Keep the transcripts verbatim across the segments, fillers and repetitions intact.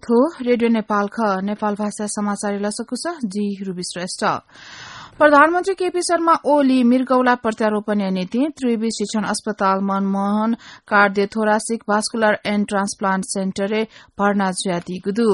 थ्व रेडियो नेपाल खः। नेपाल भाषा समाचार लसकुस, जि रुबी श्रेष्ठ। प्रधानमन्त्री केपी शर्मा ओली मृगौला प्रत्यारोपणया निंतिं त्रिवि शिक्षण अस्पताल Manmohan cardio thoracic vascular end transplant सेन्टरय् भर्ना जुयादीगु दु।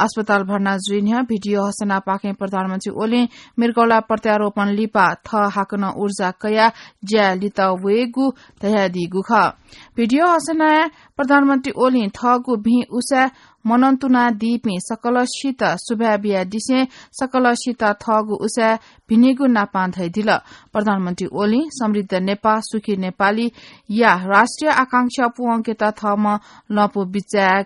अस्पताल भर्ना जुइ न्ह्यः भिडियो हसेनापाखें प्रधानमन्त्री ओलीं मृगौला प्रत्यारोपण लिपा थः हाकनं ऊर्जा कयाः ज्याय् लित वयेगु धयादीगु खः। भिडियो हसेनाय् प्रधानमन्त्री ओलीं थःगु भिं उसाय् मनंतुनादीपिं सकलसित सुभाय् बियादिसें सकलसित थःगु उसाय् भिनिगु नापां धयादिल। प्रधानमन्त्री ओलीं समृद्ध नेपाः सुखी नेपालीया राष्ट्रिय आकांक्षा पूवंकेत थःम्हं लँपु बिचाय्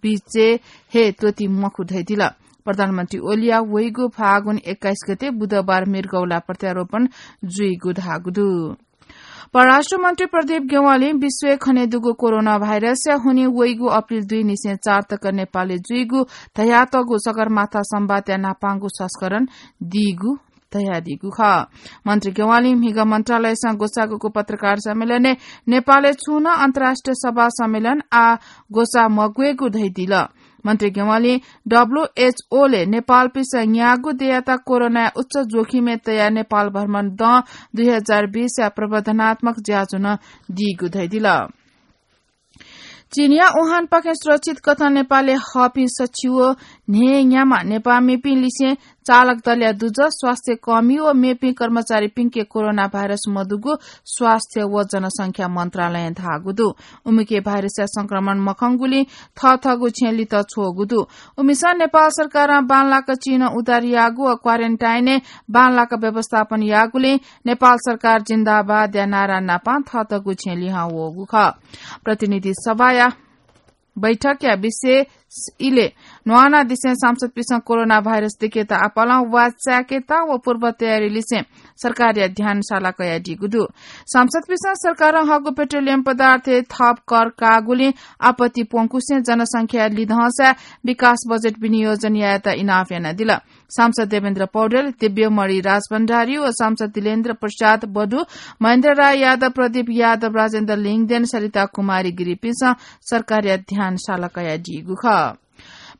बिचे हे त्वति मखु धयादिल। प्रधानमन्त्री ओलीया वइगु फागुन एक्काइस गते बुधबार मृगौला प्रत्यारोपण जुइगु धाःगु दु। परराष्ट्र मन्त्री प्रदीप ज्ञवालीं विश्वय् खनेदुगु कोरोना भाइरसया हुनिं वइगु अप्रिल दुई निसें चार तक नेपालय् जुइगु धयातःगु सगरमाथा संवादया न्हापांगु संस्करण दीगु धयादीगु खः। मन्त्री ज्ञवालीं म्हिगः मन्त्रालयसं ग्वसाःगु पत्रकार सम्मेलनय् नेपालय् छुं नं अन्तर्राष्ट्रिय सभा सम्मेलन आः ग्वसाः मग्वयेगु धयादिल। मन्त्री ज्ञवालीं डब्ल्यूएचओ ले नेपालपिसं न्याःगु देय्‌यात कोरोनाया उच्च जोखिमय् तयाः नेपाल भ्रमण दँ दुई हजार बीसया प्रबन्धनात्मक ज्याझ्वः नं दीगु धयादिल। चीनया वुहानपाखें सुरक्षित कथं नेपालय् हःपिं सछि व न्हय्‌न्याम्ह नेपाःमिपिं लिसें चालक दलया दुजः, स्वास्थ्य कर्मी व मेपिं कर्मचारीपिंके कोरोना भाइरस मदुगु स्वास्थ्य व जनसंख्या मन्त्रालयं धाःगु दु। उमिके भाइरसया संक्रमण मखंगुलिं थःथःगु छेँय् लित छ्वःगु दु। उमिसं नेपाल सरकारं बांलाक चीनं उद्धार याःगु व क्वारेन्टाइनय् बांलाक व्यवस्थापन याःगुलिं नेपाल सरकार जिन्दाबादया नारा नापां थःथःगु छेँय् लिहां वःगु खः। प्रतिनिधि सभाया बैठकया विशेष इलय् न्वानादिसें सांसदपिसं कोरोना भाइरस दिकेत आपालं वाः चाय्‌केत व पूर्व तयारी लिसें सरकारया ध्यान साला कयादीगु दु। सांसदपिसं सरकारं हःगु पेट्रोलियम पदार्थय् थप कर काःगुलिं आपत्ति प्वंकुसें जनसंख्या लिधंसा विकास बजेट विनियोजन यायेत इनाप यानादिल। सांसद देवेन्द्र पौडेल, दिव्यमणि राजभण्डारी व सांसद दिलेन्द्र प्रसाद बडु, महेन्द्र राय यादव, प्रदीप यादव, राजेन्द्र लिङदेन, सरिता कुमारी गिरीपिन्सं सरकारया ध्यान साला कयादीगु खः।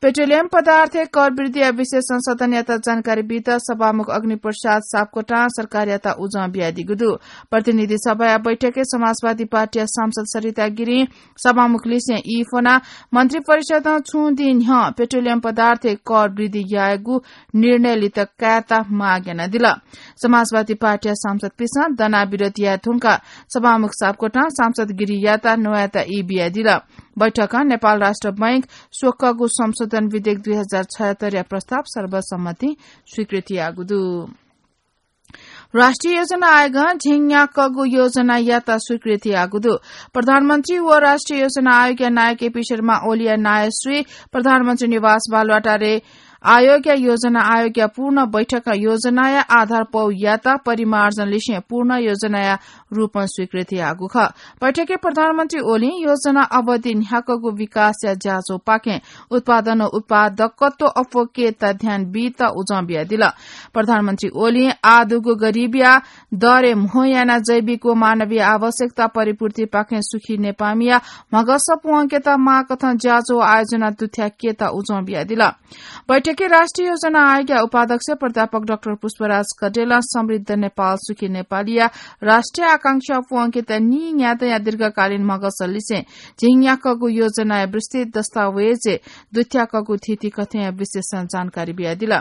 पेट्रोलियम पदार्थय् कर वृद्धिया विषयय् संशोधन यात जानकारी बीत सभामुख अग्निप्रसाद सापकोटां सरकारयात उजं बियादीगु दु। प्रतिनिधि सभाया बैठकय् समाजवादी पार्टीया सांसद सरिता गिरीं सभामुख लिसें ई फ्वनाः मन्त्रिपरिषदं छुं दिं न्ह्यः पेट्रोलियम पदार्थय् कर वृद्धि यायेगु निर्णय लित कायेत माग यानादिल। समाजवादी पार्टीया सांसदपिसं दनाः विरोध याये धुंकाः सभामुख सापकोटां सांसद गिरीयात नवायेत ई बियादिल। बैठकं नेपाल राष्ट्र बैंक स्वक्वःगु संशोधन विधेयक दुई हजार छयहत्तरया प्रस्ताव सर्वसम्मतिं स्वीकृति याःगु दु। राष्ट्रिय योजना आयोगं झिंन्याक्वःगु योजनायात स्वीकृति याःगु दु। प्रधानमन्त्री व राष्ट्रिय योजना आयोगया नायः केपी शर्मा ओलीया नायःश्री प्रधानमन्त्री निवास बालुवाटारय् आयोगया योजना आयोगया पूर्ण बैठकं योजनाया आधार पौयात परिमार्जन लिसें पूर्ण योजनाया रूपं स्वीकृति याःगु खः। बैठकय् प्रधानमन्त्री ओलीं योजना अवधि न्ह्याक्वःगु विकासया ज्याझ्वःपाखें उत्पादन व उत्पादकत्व अप्वःकेत ध्यान बीत उजं बियादिल। प्रधानमन्त्री ओलीं आः दुगु गरिबीया दरय् म्हो यानाः जैविक व मानवीय आवश्यकता परिपूर्तिपाखें सुखी नेपाःमिया म्हगस प्वंकेत माःकथं ज्याझ्वः आयोजना दुथ्याकेत उजं बियादिल। बैठकय् राष्ट्रिय योजना आयोगया उपाध्यक्ष प्राध्यापक डाक्टर पुष्पराज कटेलं समृद्ध नेपाल सुखी नेपालीया राष्ट्रिय आकांक्षा प्वंकेत नीन्यादँया दीर्घकालीन म्हगस लिसें झिंन्याक्वःगु योजनाया विस्तृत दस्तावेजय् दुथ्याक्वःगु थीथी कथंया विशेष जानकारी बियादिल।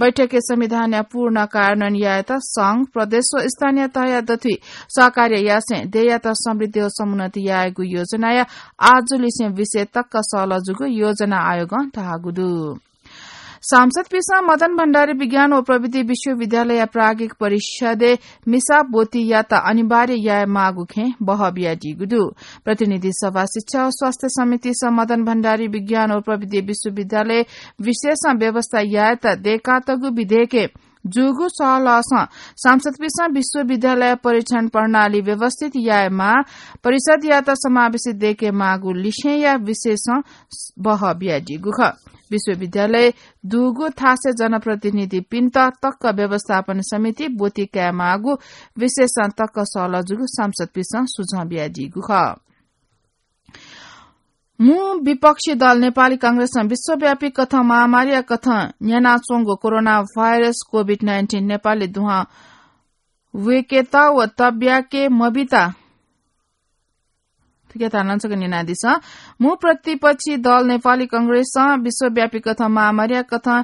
बैठकय् संविधानया पूर्ण कार्यान्वयन यायेत संघ, प्रदेश व स्थानीय तहया दथुइ सहकार्य यासें देय्‌यात समृद्धि व समुन्नति यायेगु योजनाया आजुलिसें विषय तक्क सहलह जूगु योजना आयोगं धाःगु दु। सांसदपिसं मदन भण्डारी विज्ञान व प्रविधि विश्वविद्यालयया प्राज्ञिक परिषदय् मिसा ब्वतियात अनिवार्य याये माःगु खँय् बहः बियादीगु दु। प्रतिनिधि सभा शिक्षा व स्वास्थ्य समितिसं मदन भण्डारी विज्ञान व प्रविधि विश्वविद्यालय विषयसं व्यवस्था यायेत दय्‌कातःगु विधेयकय् जूगु सहलहसं सांसदपिसं विश्वविद्यालय परीक्षण प्रणाली व्यवस्थित यायेमाः, परिषदयात समावेशित दयेकेमाःगु लिसेंया विषयसं बहः बियादीगु खः। विश्वविद्यालय दुगु थासय् जनप्रतिनिधिपिन्त तक्क व्यवस्थापन समिति ब्वति कायेमाःगु विषयसं तक्क सहलह जूगु सांसदपिसं सुझाव बियादीगु खः। मू विपक्षी दल नेपाली कांग्रेसं विश्वव्यापी कथं महामारीया कथं न्यानाच्वंगु कोरोना भाइरस कोभिड नाइन्टिन नेपालय् दुहां वय्केत व तब्याके मबिता। थुकिया धारणा छकः न्यनादिसँ। मू प्रतिपक्षी दल नेपाली कांग्रेसं विश्वव्यापी कथं महामारीया कथं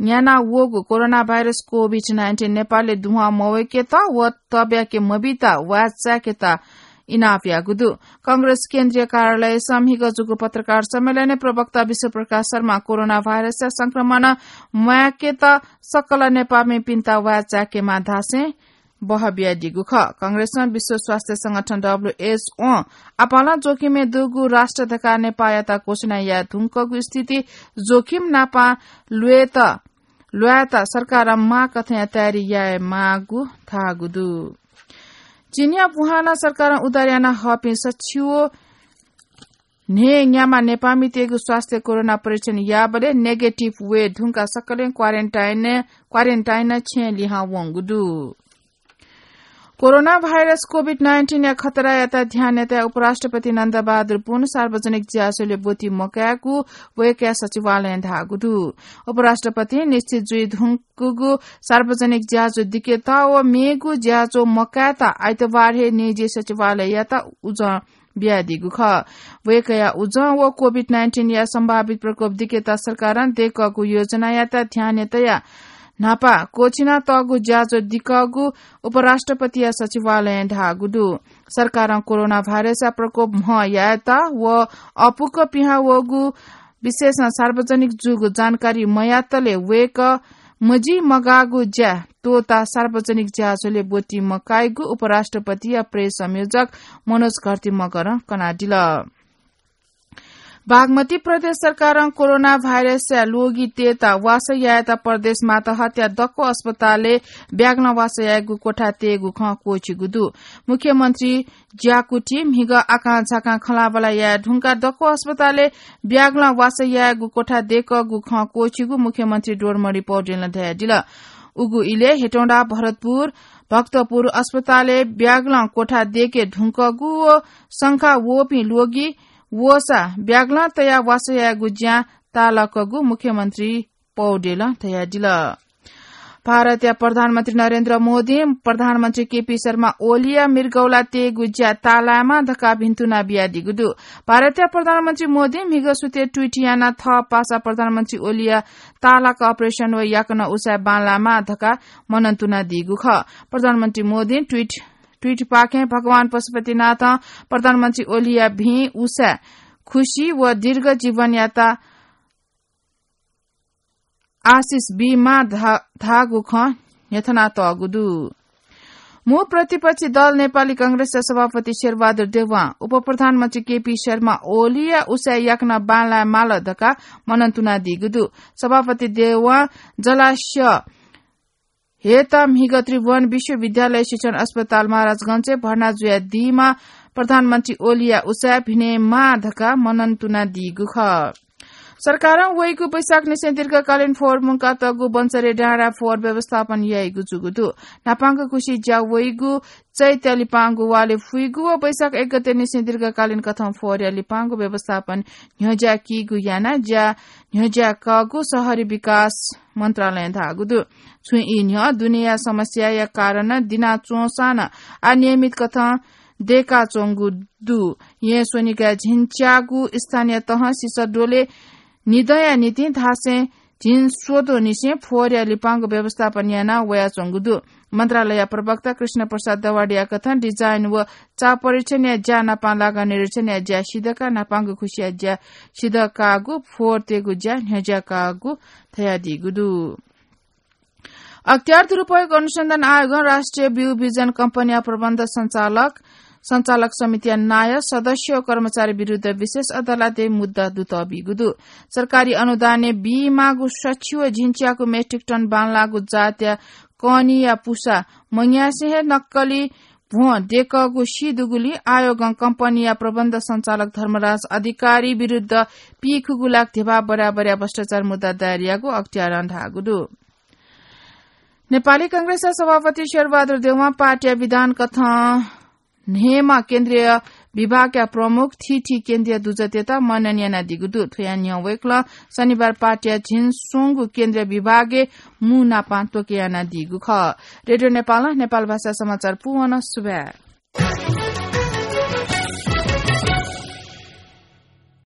न्याना वःगु कोरोना भाइरस कोभिड नाइन्टिन नेपालय् दुहां मवय्केत व तब्याके मबिता वाय्चाय्केत इनाप याःगु दु। कांग्रेस केन्द्रीय कार्यालयसं म्हिगः जूगु पत्रकार सम्मेलनय् प्रवक्ता विश्वप्रकाश शर्मां कोरोना भाइरसया संक्रमण म्वाय्केत सकल नेपाःमिपिन्त वाय्चाय्केमाः धासें बहः बियादीगु खः। कांग्रेसं विश्व स्वास्थ्य संगठन, डब्ल्यूएचओ, आपालं जोखिमय् दुगु राष्ट्र धकाः नेपाःयात घोषणा याये धुंकूगु स्थिति जोखिम नापं ल्वयेत, ल्वायेत सरकारं माःकथंया तयारी यायेमाःगु धाःगु दु। चीनया वुहानं सरकारं उद्धार याना हःपिं सच्छि व न्हय्न्याम्ह नेपाःमितय्गु स्वास्थ्य कोरोना परीक्षण याःबलय् नेगेटिभ वये धुंकाः सकलें क्वारेन्टाइन, क्वारेन्टाइन छेँय् लिहां वंगु दु। कोरोना भाइरस कोभिड नाइन्टिनया खतरायात ध्यान नयेत उपराष्ट्रपति नन्दबहादुर पुन सार्वजनिक ज्याझ्वलय् ब्वति मकायेगु वय्कःया सचिवालयं धाःगु दु। उपराष्ट्रपतिं निश्चित जुइ धुंकूगु सार्वजनिक ज्याझ्वः दिकेत व मेगु ज्याझ्वः मकायेत आइतबार हे निजी सचिवालययात उजं बियादीगु खः। वय्कःया उजं व कोभिड नाइन्टिनया सम्भावित प्रकोप दिकेत सरकारं दय्कःगु योजनायात ध्यानय् तयाः न्हापा क्वःछिना तःगु ज्याझ्वः दिकःगु उपराष्ट्रपतिया सचिवालयं धाःगु दु। सरकारं कोरोना भाइरसया प्रकोप म्ह यायेत व अःपुक पिहां वःगु विशेषं सार्वजनिक जूगु जानकारी मयातले वय्कः मजिमगाःगु ज्या त्वःताः सार्वजनिक ज्याझ्वलय् ब्वति मकाइगु उपराष्ट्रपतिया प्रेस संयोजक मनोज घरती मगरं कनादिल। बागमती प्रदेश सरकारं कोरोना भाइरसया ल्वगितय्त वासः यायेत प्रदेश मातहतया दक्व अस्पतालय् ब्यागलं वासः यायेगु कोठा तयेगु खँ क्वःछिगु दु। मुख्यमन्त्री ज्याकुथि म्हिगः आकांझाकां खँल्हाबल्हा याये धुंकाः दक्व अस्पतालय् ब्यागलं वासः यायेगु कोठा दय्कःगु खँ क्वःछिगु मुख्यमन्त्री डोमणि पौडेलं धयादिल। उगु इलय् हेटौंडा, भरतपुर, भक्तपुर अस्पतालय् ब्यागलं कोठा दय्के धुंकःगु व संखा वःपिं ल्वगि वःसा ब्यागलं तयाः वासः यायेगु ज्यां ताःलाकःगु मुख्यमन्त्री पौडेलं धयादिल। भारतया प्रधानमन्त्री नरेन्द्र मोदीं प्रधानमन्त्री केपी शर्मा ओलीया मृगौला तयेगु ज्या ताःलायेमाः धकाः भिन्तुना बियादीगु दु। भारतया प्रधानमन्त्री मोदीं म्हिगः सुथय् ट्वीट यानाः थः पासा प्रधानमन्त्री ओलीया ताःलाक अपरेसन व याकनं उसाँय् बांलायेमाः धकाः मनंतुनादीगु खः। प्रधानमन्त्री मोदीं ट्वीट, ट्वीटपाखें भगवान पशुपतिनाथं प्रधानमन्त्री ओलीया भिं उसाँय् खुसी व दीर्घ जीवनयात आशिष बीमाः धा-, धाःगु खँ न्ह्यथनातःगु दु। मू प्रतिपक्षी दल नेपाली कांग्रेसया सभापति शेरबहादुर देउवां उपप्रधानमन्त्री केपी शर्मा ओलीया उसाँय् याकनं बांलाये माल धकाः मनंतुनादीगु दु। सभापति देउवां जलास्यहेत म्हिगः त्रिभुवन विश्वविद्यालय शिक्षण अस्पताल महाराजगंजय् भर्ना जुयादीम्ह प्रधानमन्त्री ओलीया उसाँय् भिनेमाः धकाः मनंतुनादीगु खः। सरकारं वइगु वैशाखनिसें दीर्घकालीन फोहोर मुंकातःगु बन्सरे डाँडा फोहोर व्यवस्थापन याइगु जूगु दु। न्हापांगु खुसी ज्या वइगु चैत्या लिपांगु वाले फुइगु व वैशाख एक गतेनिसें दीर्घकालीन कथं फोहोरया लिपांगु व्यवस्थापन न्ह्यज्या कीगु यानाः ज्या न्ह्यज्या कःगु शहरी विकास मन्त्रालयं धाःगु दु। छुं ई न्ह्यः दुनेया समस्याया कारणं दिनाच्वंसां नं अनियमित कथं दय्काच्वंगु दु। येँ स्वनिगः झिंच्यागु स्थानीय तहं सिसः द्वले निदँया निंतिं धासें झिंस्वदँनिसें फोहोरया लिपांगु व्यवस्थापन याना वयाच्वंगु दु। मन्त्रालय प्रवक्ता कृष्ण प्रसाद दवाडीया कथं डिजाइन व चाप परीक्षणया ज्या नापं लागा निरीक्षणया ज्या सिधकाः न्हापांगु खुसिया ज्या सिधकाःगु फोहोर तयेगु ज्या न्ह्यज्या काःगु धयादीगु दु। अख्तियार दुरुपयोग अनुसन्धान आयोगं राष्ट्रिय ब्यू विजन कम्पनीया प्रबन्ध सञ्चालक, सञ्चालक समितिया नायः, सदस्य व कर्मचारी विरुद्ध विशेष अदालतय् मुद्दा दुतःबीगु दु। सरकारी अनुदानय् बीमाःगु सछि व झिंच्याकु मेट्रिक टन बांलाःगु जातया कनिया पुसा मंग्यासे हे नक्कली भ्वं दय्कःगु सी दुगुलिं आयोगं कम्पनीया प्रबन्ध सञ्चालक धर्मराज अधिकारी विरुद्ध पीखुगु लाख धिबा बराबरया भ्रष्टाचार मुद्दा दायर याःगु अख्तियारं धाःगु दु। नेपाली कांग्रेसया सभापति शेरबहादुर देउवां पार्टीया विधान कथं न्हय्म्ह केन्द्रीय विभागया प्रमुख थीथी केन्द्रीय दुजःतय्त मनन यानादीगु दु। थ्वया न्ह्यः वय्कलं शनिबार पाटीया झिंस्वंगु केन्द्रीय विभागय् मू नापां त्वके यानादीगु खः। रेडियो नेपालं नेपाल भाषा समाचार पूवन सुभाय्।